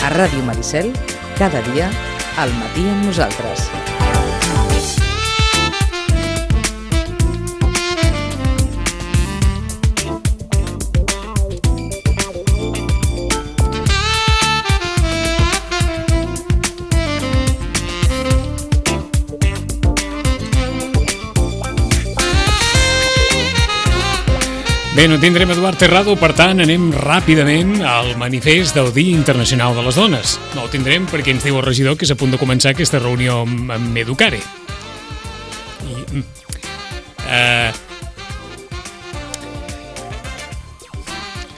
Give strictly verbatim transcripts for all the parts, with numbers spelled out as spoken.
A Ràdio Maricel, cada dia, al matí amb nosaltres. Bé, no tindrem Eduard Terrado, per tant, anem ràpidament al manifest del Dia Internacional de les Dones. No el tindrem perquè ens diu el regidor que és a punt de començar aquesta reunió amb, amb Educare. I, uh,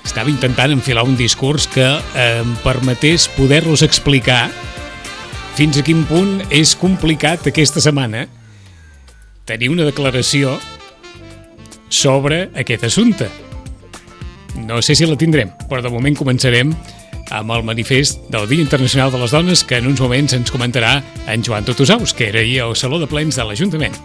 estava intentant enfilar un discurs que uh, em permetés poder-los explicar fins a quin punt és complicat aquesta setmana tenir una declaració sobre aquest assumpte. No sé si la tindrem, però de moment començarem amb el manifest del Dia Internacional de les Dones, que en uns moments ens comentarà en Joan Totosaus, que era ahir al Saló de Plens de l'Ajuntament.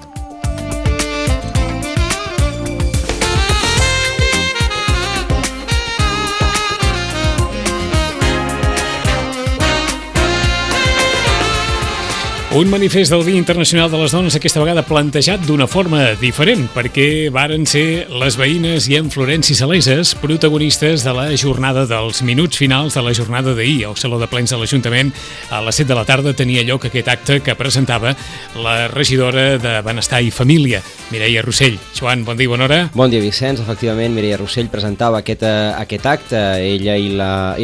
Un manifest del Dia Internacional de les Dones aquesta vegada plantejat d'una forma diferent, perquè varen ser les veïnes i en Florenci Saleses protagonistes de la jornada dels minuts finals de la jornada d'ahir. Al Saló de Plens de l'Ajuntament a les set de la tarda tenia lloc aquest acte que presentava la regidora de Benestar i Família, Mireia Rossell. Joan, bon dia i bona hora. Bon dia, Vicenç. Efectivament, Mireia Rossell presentava aquest, aquest acte. Ella i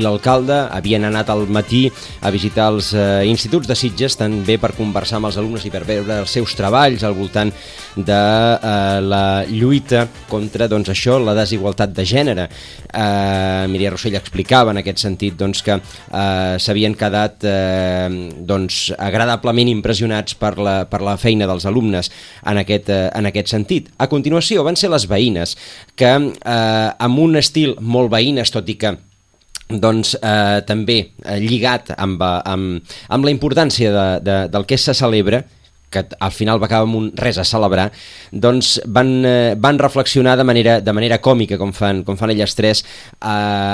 l'alcalde la, havien anat al matí a visitar els eh, instituts de Sitges, també per conversar amb els alumnes i per veure els seus treballs al voltant de eh, la lluita contra, doncs, això, la desigualtat de gènere. Eh, Mireia Rossell explicava en aquest sentit, doncs, que eh, s'havien quedat eh, doncs, agradablement impressionats per la, per la feina dels alumnes en aquest, eh, en aquest sentit. A continuació van ser les veïnes, que eh, amb un estil molt veïnes, tot i que doncs eh, també eh, lligat amb, amb, amb la importància de, de, del que se celebra, que al final va acabar amb un res a celebrar, doncs van, eh, van reflexionar de manera, de manera còmica, com fan, com fan elles tres, eh,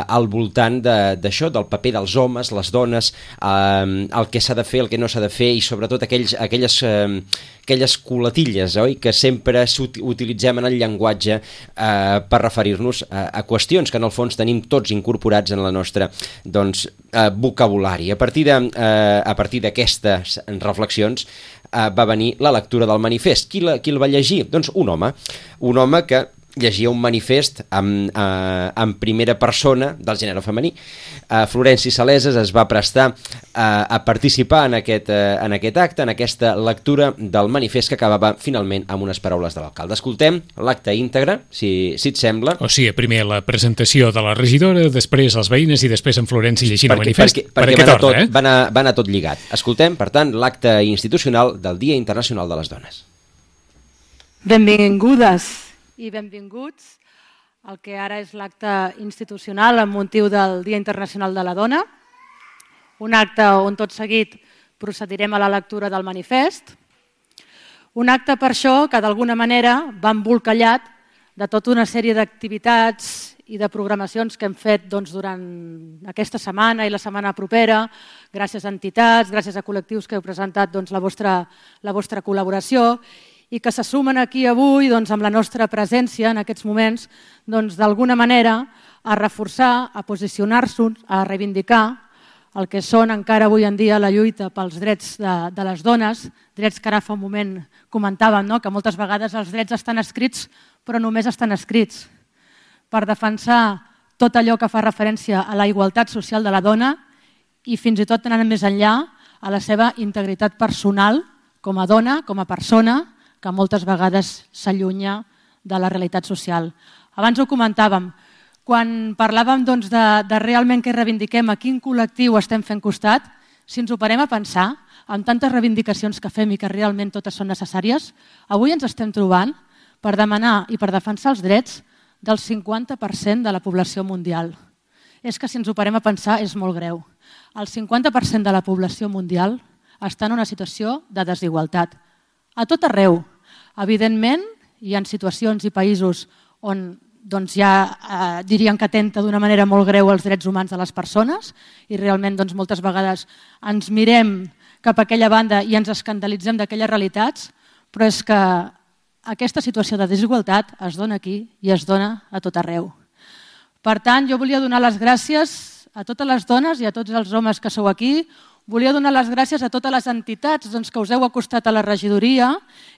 al voltant d'això, de, del paper dels homes, les dones, eh, el que s'ha de fer, el que no s'ha de fer, i sobretot aquells, aquelles, eh, aquelles colatilles, oi?, que sempre utilitzem en el llenguatge eh, per referir-nos a, a qüestions que en el fons tenim tots incorporats en la nostra, doncs, eh, vocabulari. A partir de, eh, a partir d'aquestes reflexions eh, va venir la lectura del manifest. Qui, la, qui el va llegir? Doncs un home, un home que llegia un manifest en, eh, en primera persona del gènere femení. Eh, Florenci Saleses es va prestar eh, a participar en aquest, eh, en aquest acte, en aquesta lectura del manifest, que acabava finalment amb unes paraules de l'alcalde. Escoltem l'acte íntegre, si, si et sembla. O sigui, primer la presentació de la regidora, després les veïnes i després en Florenci llegint el manifest. Perquè, perquè, perquè va, anar tot, eh? va, anar, va anar tot lligat. Escoltem, per tant, l'acte institucional del Dia Internacional de les Dones. Benvingudes i benvinguts al que ara és l'acte institucional amb motiu del Dia Internacional de la Dona, un acte on tot seguit procedirem a la lectura del manifest, un acte per això que d'alguna manera va embolcallat de tota una sèrie d'activitats i de programacions que hem fet doncs, durant aquesta setmana i la setmana propera, gràcies a entitats, gràcies a col·lectius que heu presentat doncs, la, vostra, la vostra col·laboració, i que se sumen aquí avui doncs, amb la nostra presència en aquests moments, doncs, d'alguna manera a reforçar, a posicionar-se, a reivindicar el que són encara avui en dia la lluita pels drets de, de les dones, drets que ara fa un moment comentàvem, no? Que moltes vegades els drets estan escrits però només estan escrits per defensar tot allò que fa referència a la igualtat social de la dona i fins i tot anant més enllà a la seva integritat personal com a dona, com a persona, que moltes vegades s'allunya de la realitat social. Abans ho comentàvem, quan parlàvem doncs, de, de realment què reivindiquem, a quin col·lectiu estem fent costat, si ens ho parem a pensar, amb tantes reivindicacions que fem i que realment totes són necessàries, avui ens estem trobant per demanar i per defensar els drets del cinquanta per cent de la població mundial. és que si ens ho parem a pensar és molt greu. El cinquanta per cent de la població mundial està en una situació de desigualtat. A tot arreu. Evidentment, hi ha situacions i països on doncs, ja eh, dirien que atenta d'una manera molt greu els drets humans de les persones i realment doncs, moltes vegades ens mirem cap a aquella banda i ens escandalitzem d'aquelles realitats, però és que aquesta situació de desigualtat es dona aquí i es dona a tot arreu. Per tant, jo volia donar les gràcies a totes les dones i a tots els homes que sou aquí. Volia donar les gràcies a totes les entitats doncs, que us heu acostat a la regidoria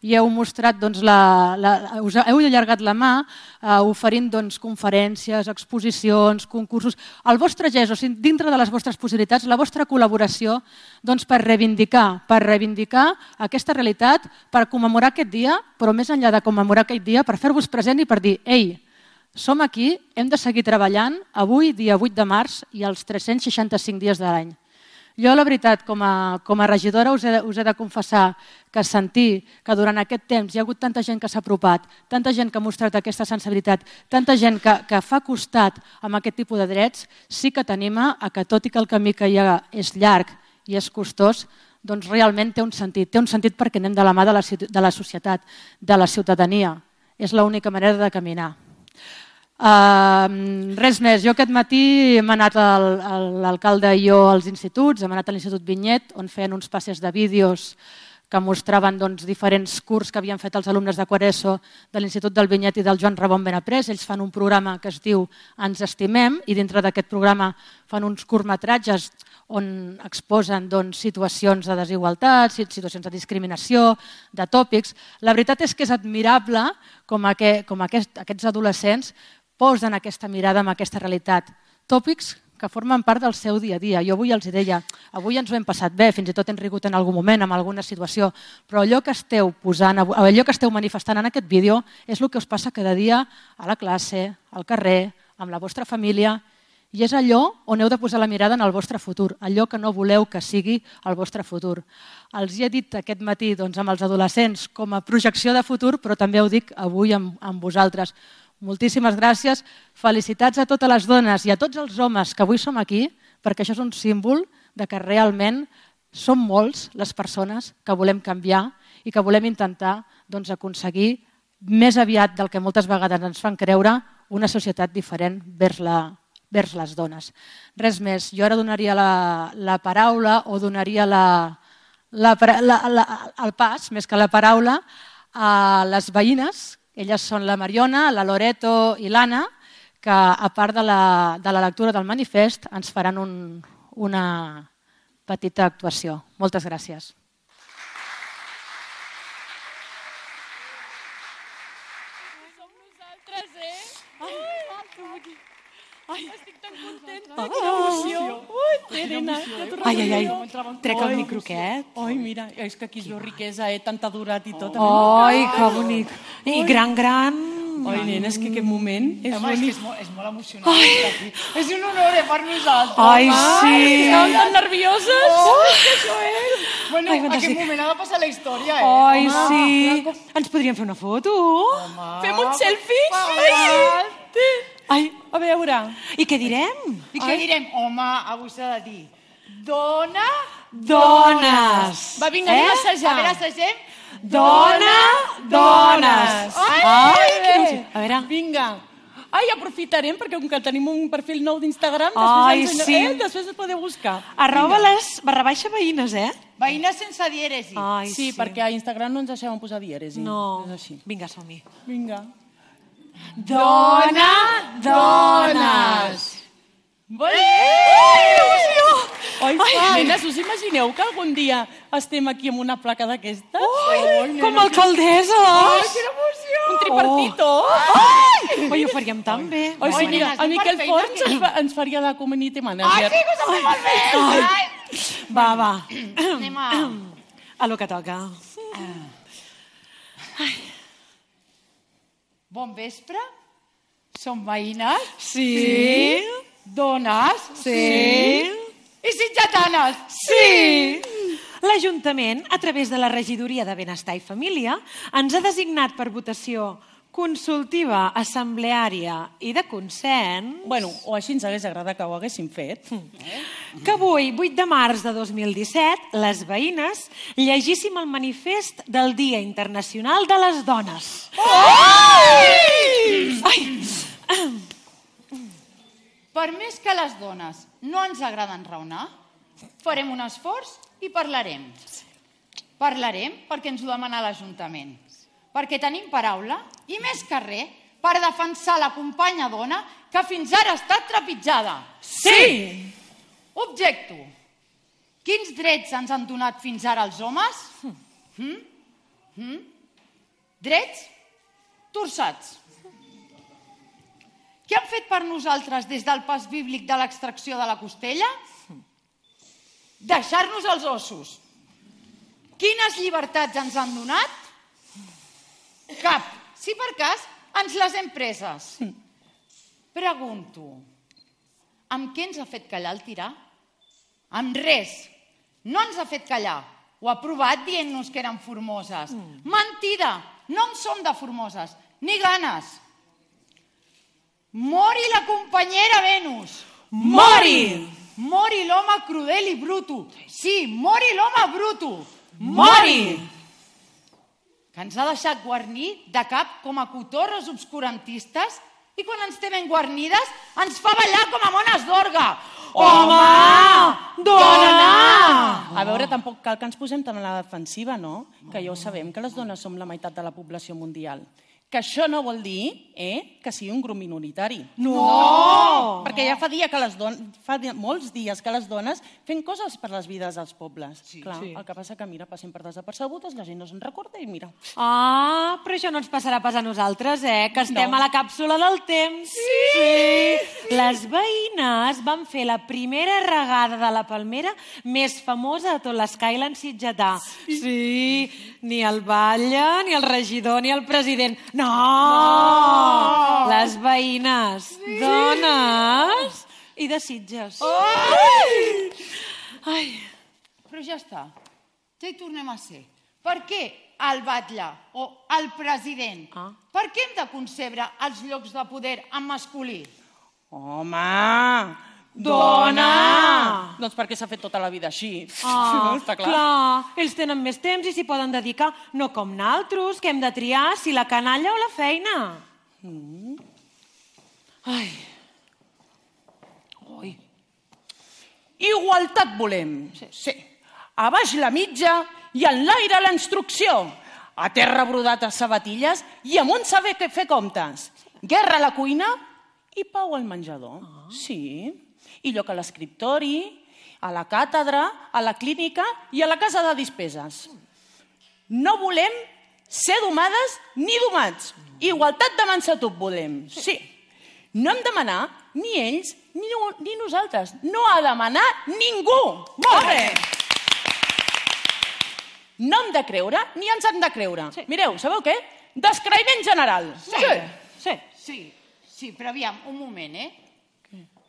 i heu mostrat, doncs, la, la, us heu allargat la mà eh, oferint doncs, conferències, exposicions, concursos. El vostre gest, o sigui, dintre de les vostres possibilitats, la vostra col·laboració doncs, per reivindicar, per reivindicar aquesta realitat, per commemorar aquest dia, però més enllà de commemorar aquest dia, per fer-vos present i per dir, ei, som aquí, hem de seguir treballant avui, dia vuit de març, i els tres-cents seixanta-cinc dies de l'any. Jo, la veritat, com a, com a regidora us he, us he de confessar que sentir que durant aquest temps hi ha hagut tanta gent que s'ha apropat, tanta gent que ha mostrat aquesta sensibilitat, tanta gent que, que fa costat amb aquest tipus de drets, sí que t'anima a que tot i que el camí que hi ha és llarg i és costós, doncs realment té un sentit. Té un sentit perquè anem de la mà de la, de la societat, de la ciutadania. És l'única manera de caminar. Uh, res més, jo aquest matí hem anat l'alcalde i jo als instituts, hem anat a l'Institut Vinyet on feien uns passes de vídeos que mostraven doncs, diferents curs que havien fet els alumnes de quart ESO de l'Institut del Vinyet i del Joan Ramon Benaprés. Ells fan un programa que es diu Ens estimem i dintre d'aquest programa fan uns curtmetratges on exposen doncs, situacions de desigualtat, situacions de discriminació, de tòpics. La veritat és que és admirable com, aquest, com aquest, aquests adolescents posen aquesta mirada en aquesta realitat. Tòpics que formen part del seu dia a dia. Jo avui els deia, avui ens ho hem passat bé, fins i tot hem rigut en algun moment, en alguna situació, però allò que esteu posant, allò que esteu manifestant en aquest vídeo és el que us passa cada dia a la classe, al carrer, amb la vostra família, i és allò on heu de posar la mirada en el vostre futur, allò que no voleu que sigui el vostre futur. Els hi he dit aquest matí doncs, amb els adolescents com a projecció de futur, però també ho dic avui amb, amb vosaltres. Moltíssimes gràcies, felicitats a totes les dones i a tots els homes que avui som aquí, perquè això és un símbol de que realment som molts les persones que volem canviar i que volem intentar doncs, aconseguir més aviat del que moltes vegades ens fan creure una societat diferent vers, la, vers les dones. Res més, jo ara donaria la, la paraula o donaria la, la, la, la, el pas, més que la paraula, a les veïnes. Elles són la Mariona, la Loreto i l'Anna, que a part de la, de la lectura del manifest ens faran un, una petita actuació. Moltes gràcies. Som nosaltres, eh? Ai, que bonic. Ai, estic tan contenta. Oh, quina emoció. Ui, Terena, ja t'ho ai, ai, ai, recordo. trec el micro aquest. Ai, mira, és que aquí es veu riquesa, eh? Tanta durat i tot. Ai, que bonic. I gran, gran. Ai, nena, és que aquest moment és Home, bonic. és, que és, molt, és molt emocionant. Ai. És un honor eh, per nosaltres. Ai, sí. Estàvem tan nervioses. Oh, que això és. Bueno, Ai, aquest sí. moment ha de passar a la història, eh? Ai, Home, sí. Ens podríem fer una foto? Home. Fem un selfie? Ai, Sí. Ai, a veure. I què direm? I què direm? Home, avui s'ha de dir dona... Dones. Va, vinga, anem a A assajar. veure, assagem. Dona, dones. Ai, Ai, bé. a veure. Vinga. Ai, aprofitarem, perquè com que tenim un perfil nou d'Instagram, Ai, després, ens, sí. eh, després ens podeu buscar. Arroba les barra baixa veïnes, eh? Veïnes sense dièresi. Ai, Sí, perquè a Instagram no ens deixaven posar dièresi. No. És així. Vinga, som-hi. Vinga. Dona, dones. Ai, Ai, nenes, us imagineu que algun dia estem aquí amb una placa d'aquestes? Ai, com a alcaldessa. Ai, quina emoció! Un tripartito! Ai, oi, ho faríem tan bé. Ai, sí, Ai, mira, nenes, a anem Miquel per feina, Forns que- ens, fa, ens faria de community Ai, manager. sí, que s'ha fet molt bé. Ai. Va, va. Anem a... A lo que toca. Bon vespre. Som veïnes. Sí. Dones. Sí. I sitjatanes. Sí! L'Ajuntament, a través de la Regidoria de Benestar i Família, ens ha designat per votació consultiva, assembleària i de consens... Bueno, o així ens hagués agradat que ho haguéssim fet. Que avui, vuit de març de dos mil disset, les veïnes llegíssim el manifest del Dia Internacional de les Dones. Ai! Per més que les dones no ens agraden raonar, farem un esforç i parlarem. Parlarem perquè ens ho demana l'Ajuntament. Perquè tenim paraula i més que res per defensar la companya dona que fins ara ha estat trepitjada. Sí! Objecto. Quins drets ens han donat fins ara els homes? Mm? Mm? Drets torçats. Què han fet per nosaltres des del pas bíblic de l'extracció de la costella? Deixar-nos els ossos. Quines llibertats ens han donat? Cap. Si per cas, ens les hem preses. Pregunto, amb què ens ha fet callar el tirà? Amb res. No ens ha fet callar. Ho ha provat dient-nos que eren formoses. Mentida! No en som de formoses, ni ganes. Mori la companyera Venus. Mori! Mori l'home crudel i bruto. Sí, mori l'home bruto. Mori! Que ens ha deixat guarnir de cap com a cotorres obscurantistes i quan ens té ben guarnides ens fa ballar com a mones d'orga. Home! Dona! A veure, tampoc cal que ens posem tan a la defensiva, no? Que ja ho sabem, que les dones som la meitat de la població mundial. Que això no vol dir eh, que sigui un grup minoritari. No! Perquè ja fa, dia que les don... fa dia... molts dies que les dones fem coses per les vides dels pobles. Sí, Clar, sí. El que passa que, mira, passem per desapercebudes, la gent no se'n recorda i mira. Ah, però això no ens passarà pas a nosaltres, eh? Que estem No. a la càpsula del temps. Sí, sí! Les veïnes van fer la primera regada de la palmera més famosa de tot l'Skyline sitgetà. Sí. sí! Ni el batlle, ni el regidor, ni el president. No! no! Les veïnes, sí. dones i de Sitges. Ai! Ai! Però ja està, ja hi tornem a ser. Per què el batlle o el president? Ah. Per què hem de concebre els llocs de poder en masculí? Home! Dona! Doncs perquè s'ha fet tota la vida així. Ah, Està clar. clar, ells tenen més temps i s'hi poden dedicar, no com naltros, que hem de triar si la canalla o la feina. Mm. Ai. Ui. Igualtat volem. Sí. sí. A baix la mitja i en l'aire la instrucció. A terra brodat a sabatilles i amunt saber què fer comptes. Guerra a la cuina i pau al menjador. Ah. Sí. I lloc a l'escriptori, a la càtedra, a la clínica i a la casa de despeses. No volem ser domades ni domats. Igualtat de mansatub volem. Sí. No hem de manar ni ells ni, ni nosaltres. No ha de manar ningú. Molt bé. No hem de creure ni ens han de creure. Sí. Mireu, sabeu què? Descreïment general. Sí. Sí. Sí, sí, però aviam, un moment, eh?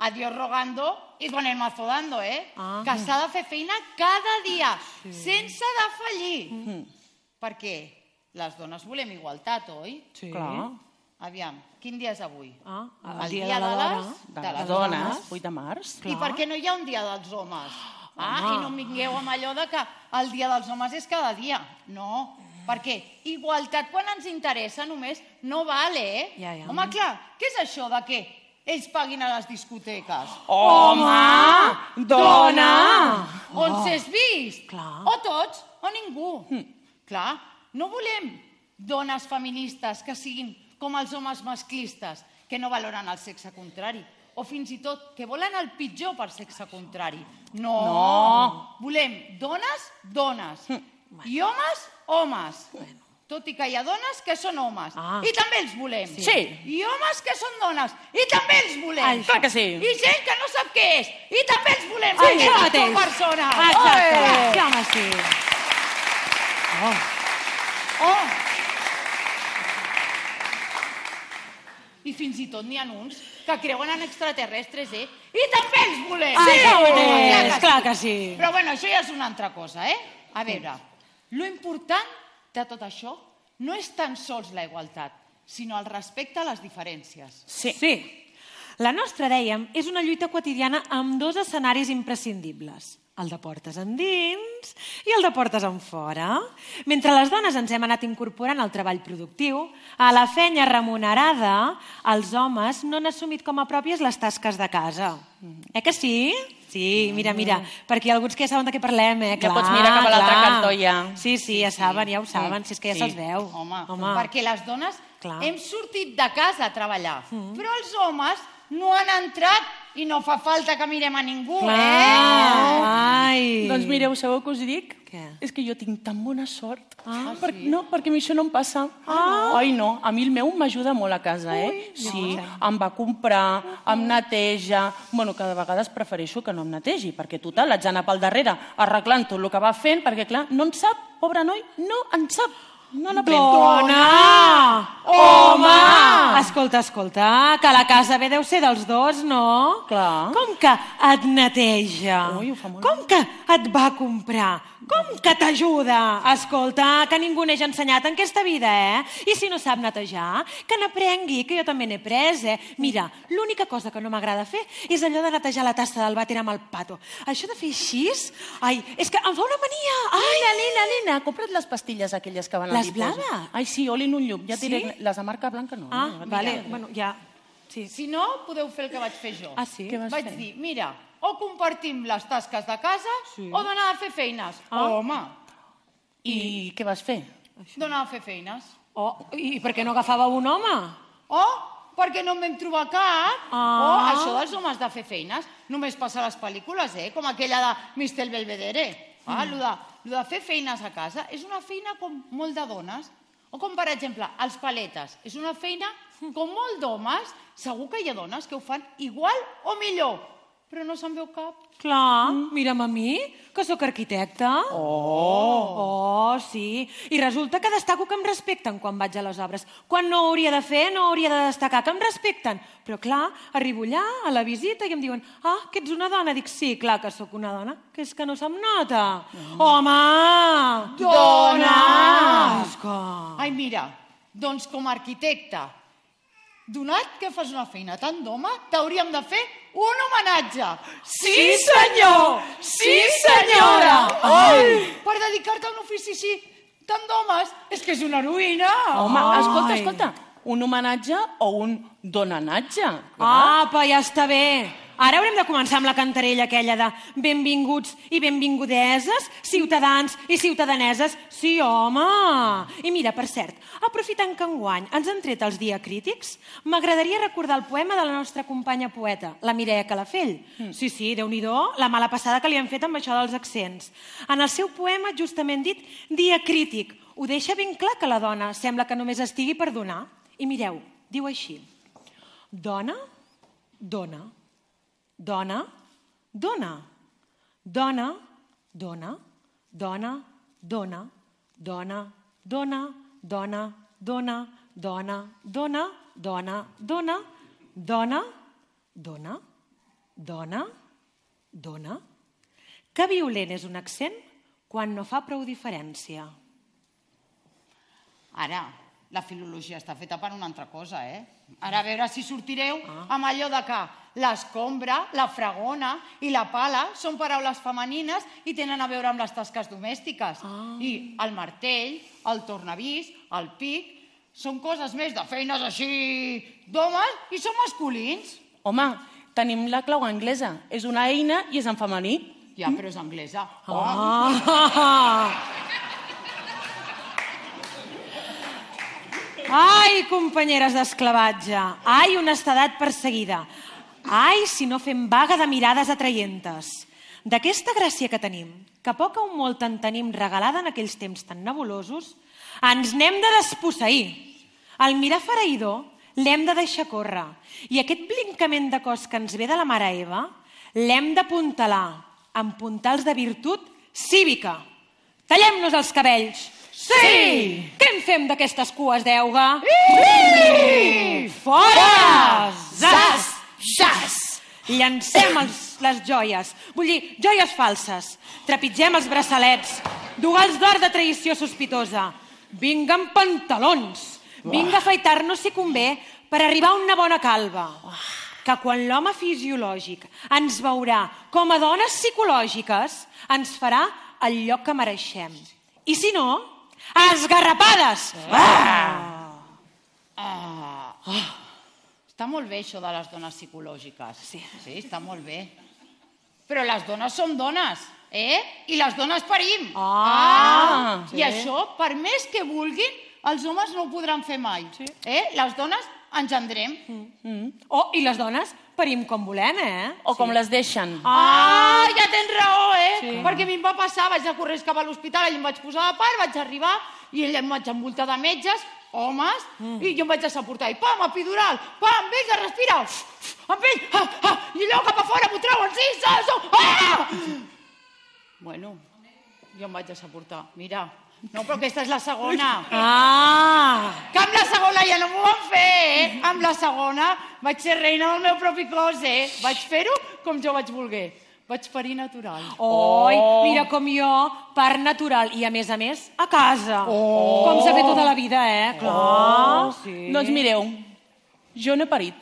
Adiós rogando y con el mazo dando, eh? Ah. Que s'ha de fer feina cada dia, sí. sense defallir. Mm. Perquè les dones volem igualtat, oi? Sí. Clar. Aviam, quin dia és avui? Ah, el, el dia, dia de, de, les, de, de les dones, vuit de març. I per què no hi ha un dia dels homes? Ah, ah. I no em vingueu amb allò de que el dia dels homes és cada dia. No, perquè igualtat quan ens interessa només no vale, eh? Ja, ja. Home, clar, què és això de què? Ells paguin a les discoteques. Home! Dona! On s'és vist? Clar. O tots o ningú. Hm. Clar, no volem dones feministes que siguin com els homes masclistes, que no valoren el sexe contrari, o fins i tot que volen el pitjor per sexe contrari. No! No. Volem dones, dones. Hm. I homes, homes. Bueno. Tot i que hi ha dones que són homes. Ah. I també els volem. Sí. I homes que són dones. I també els volem. Ai, clar que sí. I gent que no sap què és. I també els volem. Ai, perquè això no són mateix. persones. Exacte. Oh. Sí, home, sí. Oh. Oh. I fins i tot n'hi ha uns que creuen en extraterrestres, eh? I també els volem. Sí, oh, clar, que clar que sí. Però bueno, això ja és una altra cosa, eh? A veure, lo important de tot això no és tan sols la igualtat, sinó el respecte a les diferències. Sí. Sí. La nostra, dèiem, és una lluita quotidiana amb dos escenaris imprescindibles. El de portes endins i el de portes enfora. Mentre les dones ens hem anat incorporant al treball productiu, a la feina remunerada, els homes no han assumit com a pròpies les tasques de casa. Eh que sí? Sí, mira, mira, perquè hi ha alguns que ja saben de què parlem, eh? Ja pots mirar cap a l'altre cantó, ja. Sí, sí, ja saben, ja ho saben, si és que ja se'ls veu. Home, perquè les dones hem sortit de casa a treballar, però els homes no han entrat i no fa falta que mirem a ningú, eh? Ai! Doncs mireu, sabeu què us dic? Què? És que jo tinc tan bona sort. Ah, per, sí? No, perquè a mi això no em passa. Ah. Ai, no, a mi el meu m'ajuda molt a casa, eh? Ui, sí, no. Em va comprar, em neteja... Bueno, que de vegades prefereixo que no em netegi, perquè total, haig d'anar pel darrere arreglant tot el que va fent, perquè clar, no en sap, pobre noi, no en sap. No n'aprèn. Dona! Home! Escolta, escolta, que la casa bé deu ser dels dos, no? Clar. Com que et neteja? Ui, ho fa molt. Com que et va comprar? Com que t'ajuda? Escolta, que ningú n'hagi ensenyat en aquesta vida, eh? I si no sap netejar, que n'aprengui, que jo també n'he pres, eh? Mira, l'única cosa que no m'agrada fer és allò de netejar la tassa del vàter amb el pato. Això de fer així, ai, és que em fa una mania. Ai, nina, nina, nina, compra't les pastilles aquelles que van a les blaves? Ai, sí, olin un llum. Ja sí? Diré, les de marca blanca no. Ah, no, vale, bueno, ja. Sí. Si no, podeu fer el que vaig fer jo. Ah, sí? Què vas vaig fer? dir, mira, o compartim les tasques de casa sí. o d'anar a fer feines. Ah. Home. I, I què vas fer? D'anar a fer feines. Oh, i per què no agafava un home? O perquè no en vam trobar cap. Ah. O això dels homes de fer feines només passa a les pel·lícules, eh? Com aquella de mister Belvedere. Ah, mm. lo, de, lo de fer feines a casa és una feina com molt de dones. O com, per exemple, els paletes. És una feina com molt d'homes. Segur que hi ha dones que ho fan igual o millor, però no se'n veu cap. Clar, mm. mira'm a mi, que sóc arquitecta. Oh! Oh, sí. I resulta que destaco que em respecten quan vaig a les obres. Quan no hauria de fer, no hauria de destacar, que em respecten. Però clar, arribo allà, a la visita, i em diuen ah, que ets una dona. Dic, sí, clar que sóc una dona, que és que no se'm nota. Mm. Home! Dona! Esca. Ai, mira, doncs com a arquitecta, donat que fas una feina tan d'home, t'hauríem de fer un homenatge. Sí, senyor! Sí, senyora! Ai! Per dedicar-te a un ofici així tan d'homes, és que és una heroïna. Home, escolta, escolta, un homenatge o un donanatge? Apa, ja està bé. Ara haurem de començar amb la cantarella aquella de benvinguts i benvingudeses, ciutadans i ciutadaneses. Sí, home! I mira, per cert, aprofitant que enguany ens han tret els diacrítics, m'agradaria recordar el poema de la nostra companya poeta, la Mireia Calafell. Mm. Sí, sí, déu-n'hi-do, la mala passada que li han fet amb això dels accents. En el seu poema, justament dit, diacrític, ho deixa ben clar que la dona sembla que només estigui per donar. I mireu, diu així: dona, dona. Dona, dona, dona, dona, dona, dona, dona, dona, dona, dona, dona, dona, dona, dona, dona, dona, dona, dona. Que violent és un accent quan no fa prou diferència. Ara, la filologia està feta per una altra cosa, eh? Ara a veure si sortireu amb allò de que l'escombra, la fregona i la pala són paraules femenines i tenen a veure amb les tasques domèstiques. Ah. I el martell, el tornavís, el pic, són coses més de feines així d'homes i són masculins. Home, tenim la clau anglesa. És una eina i és en femení. Ja, però és anglesa. Ah. Ai, companyeres d'esclavatge, ai, honestedat perseguida, ai, si no fem vaga de mirades atraientes. D'aquesta gràcia que tenim, que poc o molt en tenim regalada en aquells temps tan nebulosos, ens n'hem de desposseir. Al mirar fereïdor l'hem de deixar córrer i aquest blincament de cos que ens ve de la mare Eva l'hem d'apuntalar amb puntals de virtut cívica. Tallem-nos els cabells. Sí! Què en fem d'aquestes cues d'euga? Sí! Fora! Zas! Xas! Llancem els, les joies, vull dir, joies falses. Trepitgem els braçalets, dugals d'or de traïció sospitosa. Vinguen pantalons, Vinga a afaitar-nos si convé per arribar a una bona calva. Que quan l'home fisiològic ens veurà com a dones psicològiques, ens farà el lloc que mereixem. I si no, esgarrapades! Està molt bé això de les dones psicològiques. Sí, està molt bé. Però les dones som dones, eh? I les dones parim. Ah! I això, per més que vulguin, els homes no ho podran fer mai. Les dones engendrem. Oh, i les dones parim com volem, eh? O com les deixen. Ah, ja tens raó, eh? Perquè a mi em va passar, vaig a correr cap a l'hospital, allà em vaig posar a part, vaig arribar i allà em vaig envoltar de metges, homes, i jo em vaig deixar portar. I pam, epidural, pam, vinga, respira, amb ell, i allò cap a fora, m'ho treuen, sí, sí, ah! Bueno, jo em vaig deixar portar, mira. No, però aquesta és la segona. Ah! Que amb la segona ja no m'ho van fer, eh? Amb la segona vaig ser reina del meu propi cos, eh? Vaig fer-ho com jo vaig voler. Vaig parir natural. Oi, mira com jo, part natural. I a més a més, a casa. Com s'ha fet tota la vida, eh? Clar. Doncs mireu, jo no he parit.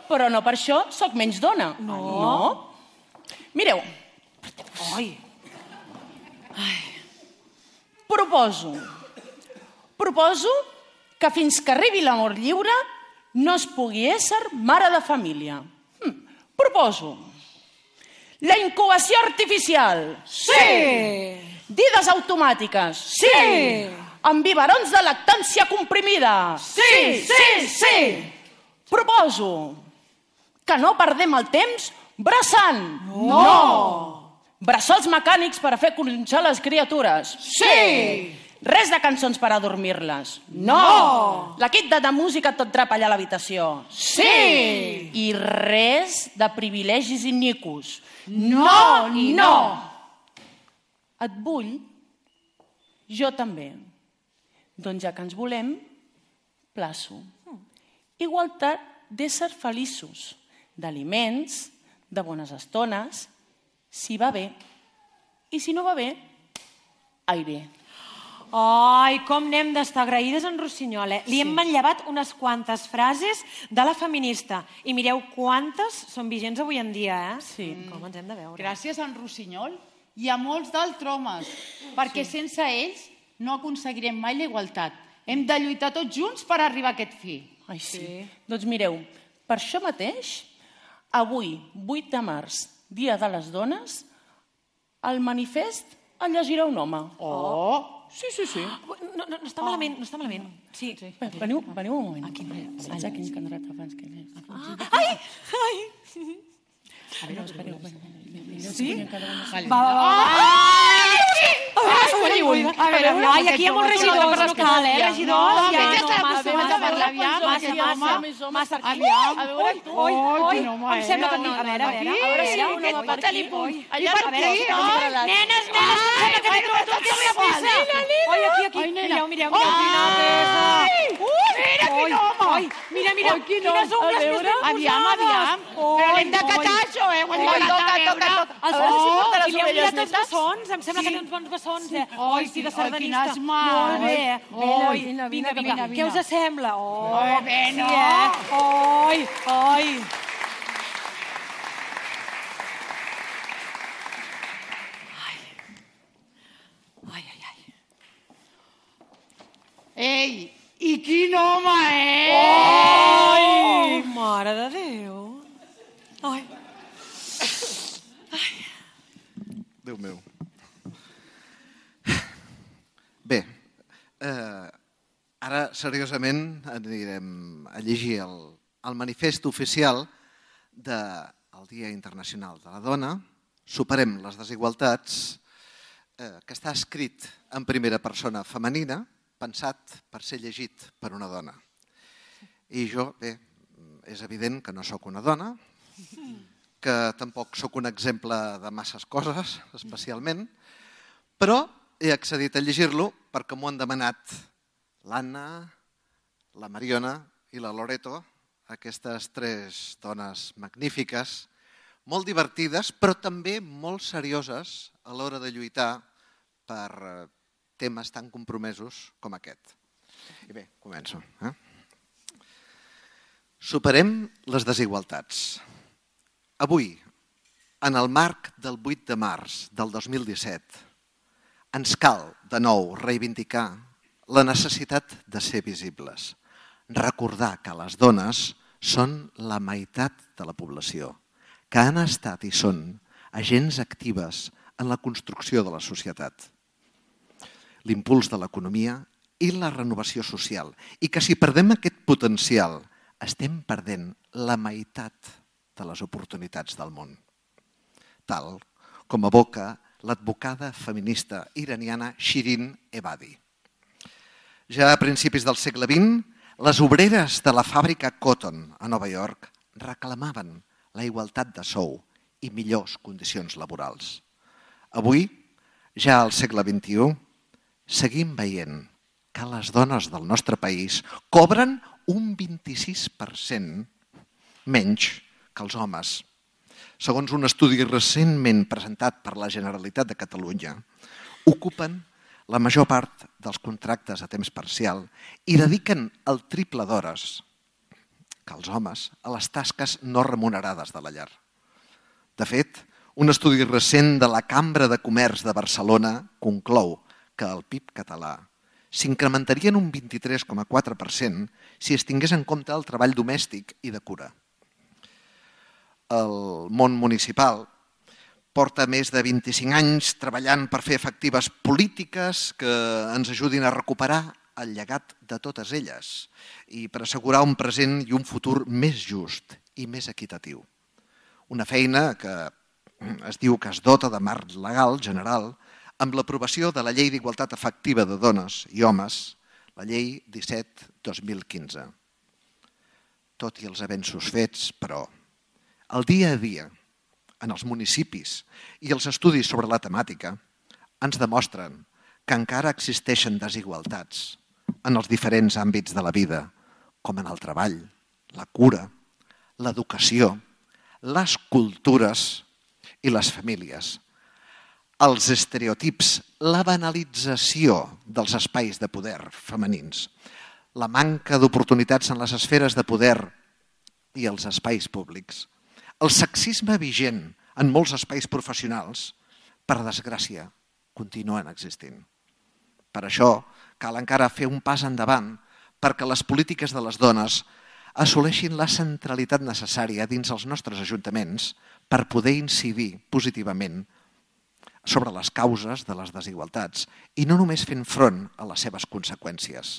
Però no per això sóc menys dona. No. Mireu. Ai. Proposo, proposo que fins que arribi l'amor lliure no es pugui ésser mare de família. Hm. Proposo la incubació artificial. Sí! Dides automàtiques. Sí! Amb biberons de lactància comprimida. Sí, sí, sí! Proposo que no perdem el temps braçant. No! Brassols mecànics per a fer conxar les criatures. Sí! Res de cançons per adormir-les. No! La kit de música tot trapallar a l'habitació. Sí! I res de privilegis iniquos. No, no! Et vull? Jo també. Doncs ja que ens volem, plaço. Igualtat d'éssers feliços, d'aliments, de bones estones, si va bé. I si no va bé, aire. Ai, com n'hem d'estar agraïdes en Rossinyol, eh? Li hem manllevat unes quantes frases de la feminista. I mireu quantes són vigents avui en dia, eh? Sí. Com ens hem de veure. Gràcies a en Rossinyol i a molts d'altres homes, perquè sense ells no aconseguirem mai la igualtat. Hem de lluitar tots junts per arribar a aquest fi. Ai, sí. Doncs mireu, per això mateix, avui, vuit de març, Dia de les Dones, el manifest el llegirà un home. Oh! Sí, sí, sí. No, no, no està malament, no està malament. Sí. Veniu, veniu un moment. Aquí, allà, quin candidat abans que... Ai! Ai! A veure, espereu. Sí? Va, va, va. Ai! Ai, a veure, ai, aquí hi ha molts regidors, no cal, eh? Regidors, ja, no, massa, massa, massa, massa, massa, aviam. A veure, tu. Oi, oi, em sembla que... A veure, a veure, a veure si hi ha un home per aquí. Allà per aquí, nenes, nenes, em sembla que teniu tot el que passa. Oi, aquí, aquí, mireu, mireu, mireu, quina peça. Mira quin home! Oi, mira, mira, quines ungles més ben posades. Aviam, aviam. Però l'hem de catar, això, eh? Ho hem de catar, veure. Els bons, i li heu mirat els bessons, em sembla que té uns bons bessons, eh? Oi, sí, de sardanista. quines mans. Molt bé. Oi, Vinga, vine, vinga, vine, què us sembla? Oi, bé, no. Sí, eh? Oi, oi. Ai, ai, ai. Ei, i quin home, eh? Ai, mare de Déu. Ai. Déu meu. Bé, eh, ara seriosament anirem a llegir el, el manifest oficial del Dia Internacional de la Dona, Superem les desigualtats, eh, que està escrit en primera persona femenina, pensat per ser llegit per una dona. I jo, bé, és evident que no sóc una dona, que tampoc sóc un exemple de masses coses, especialment, però he accedit a llegir-lo perquè m'ho han demanat l'Anna, la Mariona i la Loreto, aquestes tres dones magnífiques, molt divertides, però també molt serioses a l'hora de lluitar per temes tan compromesos com aquest. I bé, començo. Eh? Superem les desigualtats. Avui, en el marc del vuit de març del dos mil disset, ens cal, de nou, reivindicar la necessitat de ser visibles. Recordar que les dones són la meitat de la població, que han estat i són agents actives en la construcció de la societat, l'impuls de l'economia i la renovació social, i que si perdem aquest potencial estem perdent la meitat de les oportunitats del món, tal com evoca l'advocada feminista iraniana Shirin Ebadi. Ja a principis del segle vint, les obreres de la fàbrica Cotton a Nova York reclamaven la igualtat de sou i millors condicions laborals. Avui, ja al segle vint-i-u, seguim veient que les dones del nostre país cobren un vint-i-sis per cent menys que els homes. Segons un estudi recentment presentat per la Generalitat de Catalunya, ocupen la major part dels contractes a temps parcial i dediquen el triple d'hores que els homes a les tasques no remunerades de la llar. De fet, un estudi recent de la Cambra de Comerç de Barcelona conclou que el P I B català s'incrementaria en un vint-i-tres coma quatre per cent si es tingués en compte el treball domèstic i de cura. El món municipal porta més de vint-i-cinc anys treballant per fer efectives polítiques que ens ajudin a recuperar el llegat de totes elles i per assegurar un present i un futur més just i més equitatiu. Una feina que es diu que es dota de marc legal general amb l'aprovació de la Llei d'Igualtat Efectiva de Dones i Homes, la Llei disset dos mil quinze. Tot i els avenços fets, però, el dia a dia, en els municipis i els estudis sobre la temàtica, ens demostren que encara existeixen desigualtats en els diferents àmbits de la vida, com en el treball, la cura, l'educació, les cultures i les famílies. Els estereotips, la banalització dels espais de poder femenins, la manca d'oportunitats en les esferes de poder i els espais públics, el sexisme vigent en molts espais professionals, per desgràcia, continuen existint. Per això cal encara fer un pas endavant perquè les polítiques de les dones assoleixin la centralitat necessària dins els nostres ajuntaments per poder incidir positivament sobre les causes de les desigualtats i no només fent front a les seves conseqüències.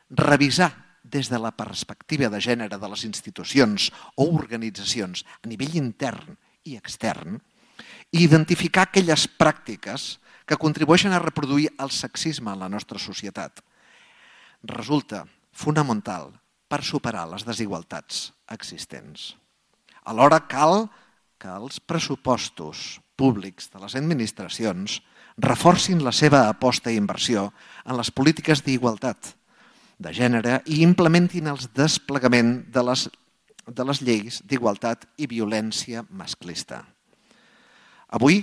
Revisar des de la perspectiva de gènere de les institucions o organitzacions a nivell intern i extern i identificar aquelles pràctiques que contribueixen a reproduir el sexisme en la nostra societat. Resulta fonamental per superar les desigualtats existents. Alhora cal que els pressupostos públics de les administracions reforcin la seva aposta i inversió en les polítiques d'igualtat de gènere i implementin el desplegament de les, de les lleis d'igualtat i violència masclista. Avui,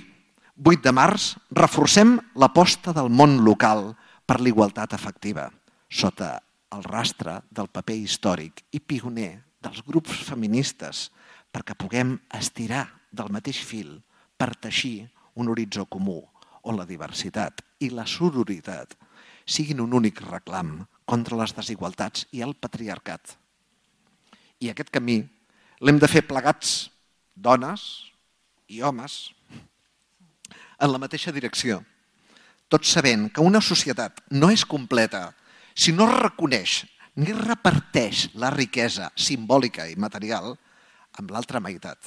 vuit de març, reforcem l'aposta del món local per l'igualtat efectiva, sota el rastre del paper històric i pioner dels grups feministes perquè puguem estirar del mateix fil per teixir un horitzó comú on la diversitat i la sororitat siguin un únic reclam contra les desigualtats i el patriarcat. I aquest camí l'hem de fer plegats, dones i homes, en la mateixa direcció, tot sabent que una societat no és completa si no reconeix ni reparteix la riquesa simbòlica i material amb l'altra meitat,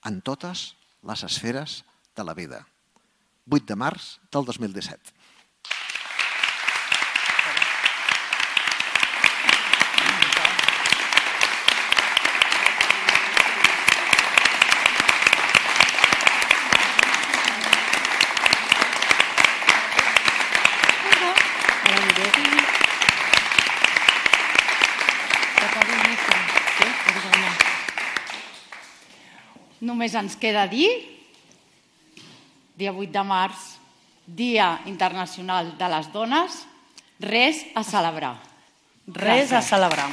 en totes les esferes de la vida. vuit de març del dos mil disset. Només ens queda dir, dia vuit de març, Dia Internacional de les Dones, res a celebrar. Res a celebrar.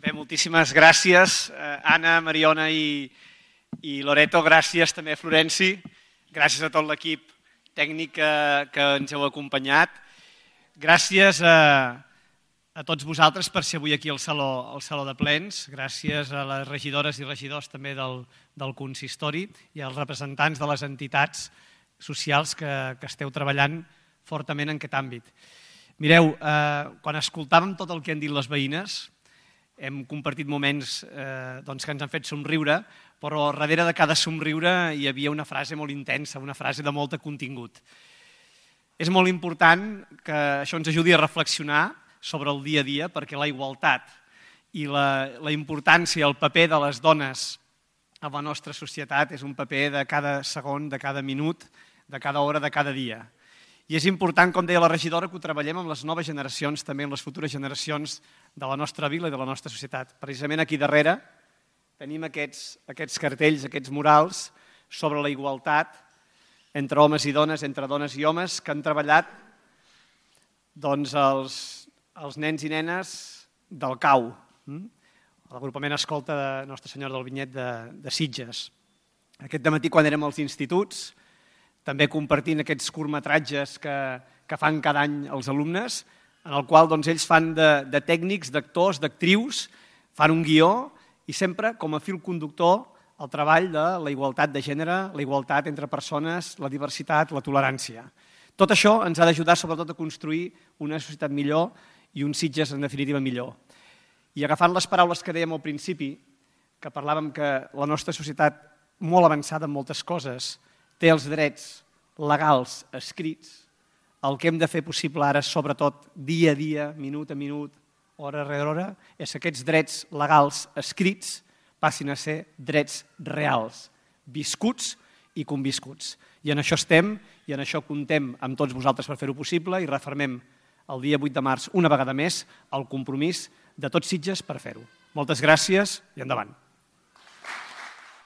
Bé, moltíssimes gràcies, Anna, Mariona i, i Loreto. Gràcies també a Florenci. Gràcies a tot l'equip tècnic que, que ens heu acompanyat. Gràcies a, a tots vosaltres per ser avui aquí al Saló, al Saló de Plens. Gràcies a les regidores i regidors també del, del consistori i als representants de les entitats socials que, que esteu treballant fortament en aquest àmbit. Mireu, eh, quan escoltàvem tot el que han dit les veïnes, hem compartit moments eh, doncs, que ens han fet somriure, però darrere de cada somriure hi havia una frase molt intensa, una frase de molt contingut. És molt important que això ens ajudi a reflexionar sobre el dia a dia, perquè la igualtat i la, la importància, el paper de les dones a la nostra societat és un paper de cada segon, de cada minut, de cada hora, de cada dia. I és important, com deia la regidora, que ho treballem amb les noves generacions, també amb les futures generacions de la nostra vila i de la nostra societat. Precisament aquí darrere tenim aquests, aquests cartells, aquests murals sobre la igualtat entre homes i dones, entre dones i homes, que han treballat doncs, els, els nens i nenes del C A U, l'agrupament escolta de Nostra Senyora del Vinyet de, de Sitges. Aquest dematí, quan érem als instituts, també compartint aquests curtmetratges que, que fan cada any els alumnes, en el qual doncs, ells fan de, de tècnics, d'actors, d'actrius, fan un guió i sempre com a fil conductor el treball de la igualtat de gènere, la igualtat entre persones, la diversitat, la tolerància. Tot això ens ha d'ajudar sobretot a construir una societat millor i un Sitges en definitiva millor. I agafant les paraules que dèiem al principi, que parlàvem que la nostra societat molt avançada en moltes coses té els drets legals escrits, el que hem de fer possible ara, sobretot dia a dia, minut a minut, hora rere hora, és que aquests drets legals escrits passin a ser drets reals, viscuts i conviscuts. I en això estem i en això comptem amb tots vosaltres per fer-ho possible i refermem el dia vuit de març una vegada més el compromís de tots Sitges per fer-ho. Moltes gràcies i endavant.